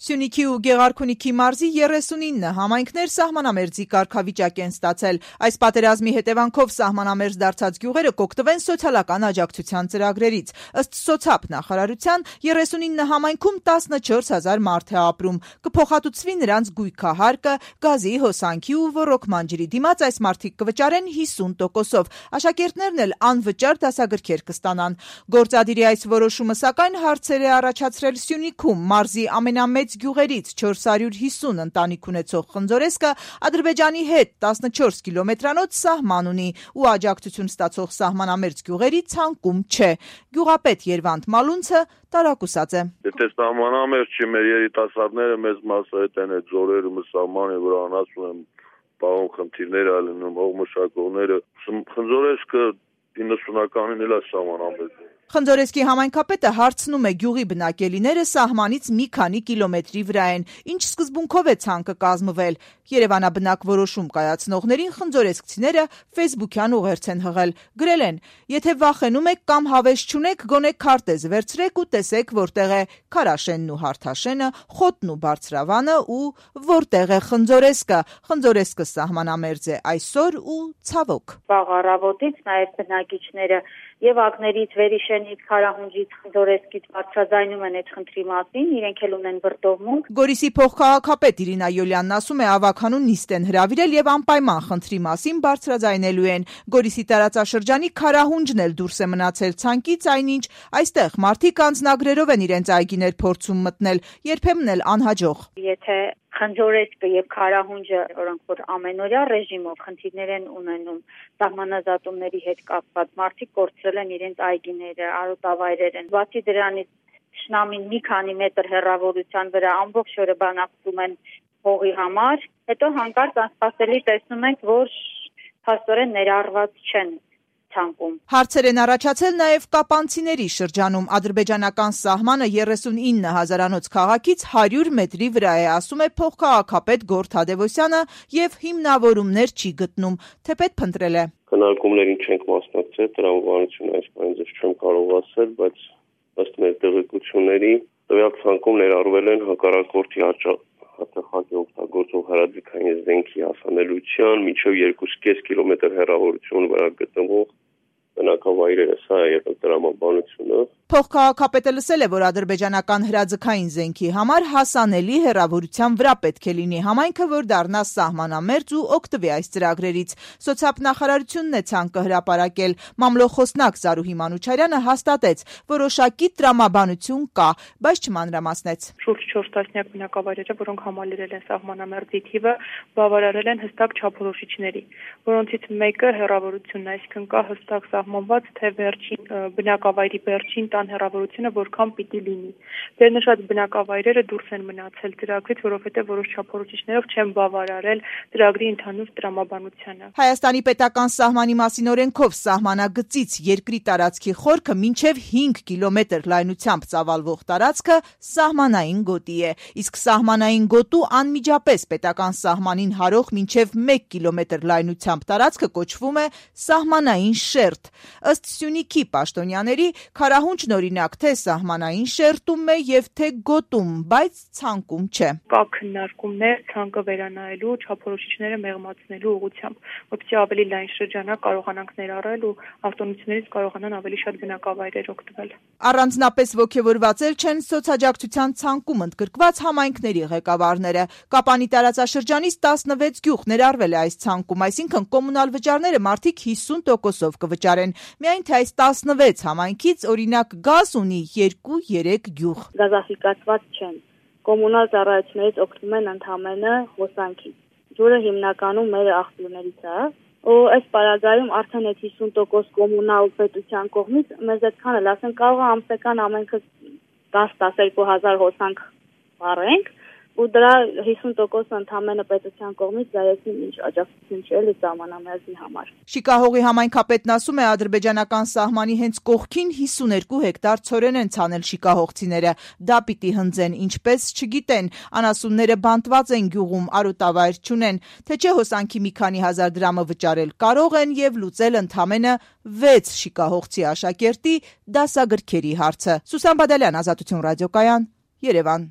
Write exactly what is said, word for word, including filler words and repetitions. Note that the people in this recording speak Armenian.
Սյունիքի ու Գեղարքունիքի մարզի երեսունինը համայնքներ սահմանամերձի կարգավիճակ են ստացել։ Այս պատերազմի հետևանքով սահմանամերձ դարձած գյուղերը կօգտվեն սոցիալական աջակցության ծրագրերից։ Ըստ սոցապ նախարարության երեսունինը համայնքում տասնչորս հազար մարդ է ապրում։ Կփոխհատուցվի նրանց գույքահարկը, գազի, հոսանքի ու ոռոգման ջրի դիմաց այս մարդիկ կվճարեն հիսուն տոկոսով։ Աշակերտներն էլ անվճար դասագրքեր կստանան։ Գործադիրի այս որոշումը սակայն հարցեր է առաջացրել Սյունիքում։ Մարզի ամենամեծ գյուղերից չորս հարյուր հիսուն ընտանիք ունեցող Խնձորեսկը Ադրբեջանի հետ տասնչորս կիլոմետրանոց սահման ունի ու աջակցություն ստացող սահմանամերձ գյուղերի ցանկում չէ։ Գյուղապետ Երվանդ Մալունցը տարակուսած է։ Եթե սահմանամերձ չի, մեր երիտասարդները մեծ մասը հետ են այդ զորերը սահմանի վրա անացում են, պահում խնդիրներ ա լինում, հողմշակողները։ Խնձորեսկը իննսունականին էլ է սահմանամերձ։ Խնձորեսկի համայնքապետը հարցնում է գյուղի բնակելիները սահմանից մի քանի կիլոմետրի վրա են, ինչ սկզբունքով է ցանկը կազմվել։ Երևանաբնակ որոշում կայացնողներին խնձորեսկցիները ֆեյսբուքյան ուղերձ են հղել։ Գրել են. եթե վախենում եք կամ հավես չունեք, գոնե քարտեզ վերցրեք ու տեսեք որտեղ է Քարաշենն ու Հարթաշենը, Խոտն ու Բարձրավանը ու որտեղ է Խնձորեսկը։ Խնձորեսկը սահմանամերձ է այսօր ու ցավոք։ Վաղ առավոտից նաև բնակիչները եւ ակներից Վերիշենից, Քարահունջից, Խնձորեսկից բարձրաձայնում են այդ խնդրի մասին, իրենք էլ ունեն վրդովմունք։ Գորիսի փոխքաղաքապետ Իրինա Յոլյանն ասում է, ավականուն նիստ են հրավիրել եւ անպայման խնդրի մասին բարձրաձայնելու են։ Գորիսի տարածաշրջանի Քարահունջն էլ դուրս է մնացել ցանկից, այնինչ այստեղ մարդիկ անձնագրերով են իրենց այգիներ փորձում մտնել, երբեմն էլ անհաջող։ Եթե Խնձորեսկը եւ Քարահունջը, որոնք որ ամենօրյա ռեժիմով խնդիրներ են ունենում սահմանազատումների հետ կապված, մարդիկ կորցրել են իրենց այգիները, արոտավայրեր են։ Բացի դրանից շնամին մի քանի մետր հեռավորության վրա ամբողջ օրը բանակցում են հողի համար, հետո հանկարծ անսպասելի տեսնում ենք, որ փաստորեն ներառված չեն ցանկում։ Հարցեր են առաջացել նաև կապանցիների շրջանում։ Ադրբեջանական սահմանը երեսունինը հազարանոց քաղաքից հարյուր մետրի վրա է, ասում է փոխքաղաքապետ Գորթ Թադևոսյանը եւ հիմնավորումներ չի գտնում, թեպետ փնտրել է։ Քննարկումներին չենք մասնակցել, տրամաբանությունը այս բանը ձեզ չեմ կարող ասել, բայց ըստ մեր տեղեկությունների տվյալ ցանկում ներառվել են հակառակորդի հատախակի օգտագործող հրաձգային զենքի հասանելիության մինչև երկու կես կիլոմետր հեռավորություն վրա գտնվող բնակավայրերը, սա է եղել տրամաբանությունը։ Փոխքաղաքապետը լսել է, որ ադրբեջանական հրաձգային զենքի համար հասանելի հեռավորության վրա պետք է լինի համայնքը, որ դառնա սահմանամերձ ու օգտվի այս ծրագրերից։ Սոցիալ նախարարությունն է ցանկը հրապարակել։ Մամլոխոսնակ Զարուհի Մանուչարյանը հաստատեց, որոշակի տրամաբանություն կա, բայց չմանրամասնեց։ Շուրջ չորս տասնյակ բնակավայրերը, որոնք համալրել են սահմանամերձի թիվը, բավարարել են հստակ չափորոշիչների, որոնցից մեկը հեռավորությունն է, այսինքն կա հստակ սահմանված, թե վերջին բնակավայրի վերջին տան հեռավորությունը որքան պիտի լինի։ Վերնշած բնակավայրերը դուրս են մնացել ծրագրից, որովհետև որոշ չափորոշիչներով չեն բավարարել ծրագրի ընդհանուր տրամաբանությանը։ Հայաստանի պետական սահմանի մասին օրենքով սահմանագծից երկրի տարածքի խորքը մինչև հինգ կիլոմետր լայնությամբ ծավալվող տարածքը սահմանային գոտի է, իսկ սահմանային գոտու անմիջապես պետական սահմանին հարող մինչև մեկ կիլոմետր լայնությամբ տարածքը կոչվում է սահմանային շերտ։ Ըստ Սյունիքի պաշտոնյաների Քարահունջն օրինակ թե սահմանային շերտում է եւ թե գոտում, բայց ցանկում չէ։ Կա քննարկումներ ցանկը վերանայելու, չափորոշիչները մեղմացնելու ուղղությամբ, որպեսզի ավելի լայն շրջանակ կարողանանք ներառել ու արտոնություններից կարողանան ավելի շատ բնակավայրեր օգտվել։ Առանձնապես ոգևորված էլ չեն սոցաջակցության ցանկում ընդգրկված համայնքների ղեկավարները։ Կապանի տարածաշրջանից տասնվեց գյուղ ներառվել է այս ցանկում, այսինքն կոմունալ վճարները մարդիկ հիսուն տոկոսով կվճարեն։ Միայն թե այս տասնվեց համայնքից օրինակ գազ ունի երկու-երեք գյուղ։ Գազաֆիկացված չեն։ Կոմունալ ծառայություններից օգտվում են ընդամենը հոսանքից։ Ջուրը հիմնականում մեր աղբյուրներից է։ Ու այս պարագայում արդեն այդ հիսուն տոկոս կոմունալ պետության կողմից մեզ այդքան էլ ասեն կարող է ամսական ամենքը դաս տասնյոթ հազար հոսանք վառենք ու դրա հիսուն տոկոսը ընդամենը պետության կողմից դայեցին ինչ աջակցություն չէ էլի սահմանամերձի համար։ Շիկահողի համայնքապետն ասում է ադրբեջանական սահմանի հենց կողքին հիսուներկու հեկտար ցորեն են ցանել շիկահողցիները։ Դա պիտի հնձեն, ինչպես չգիտեն, անասունները բանտված են գյուղում, արոտավայր չունեն, թե չէ հոսանքի մի քանի հազար դրամը վճարել կարող են եւ լուծել ընդամենը վեց շիկահողցի աշակերտի դասագրքերի հարցը։ Սուսան Բադալյան, Ազատություն ռադիոկայան, Երևան։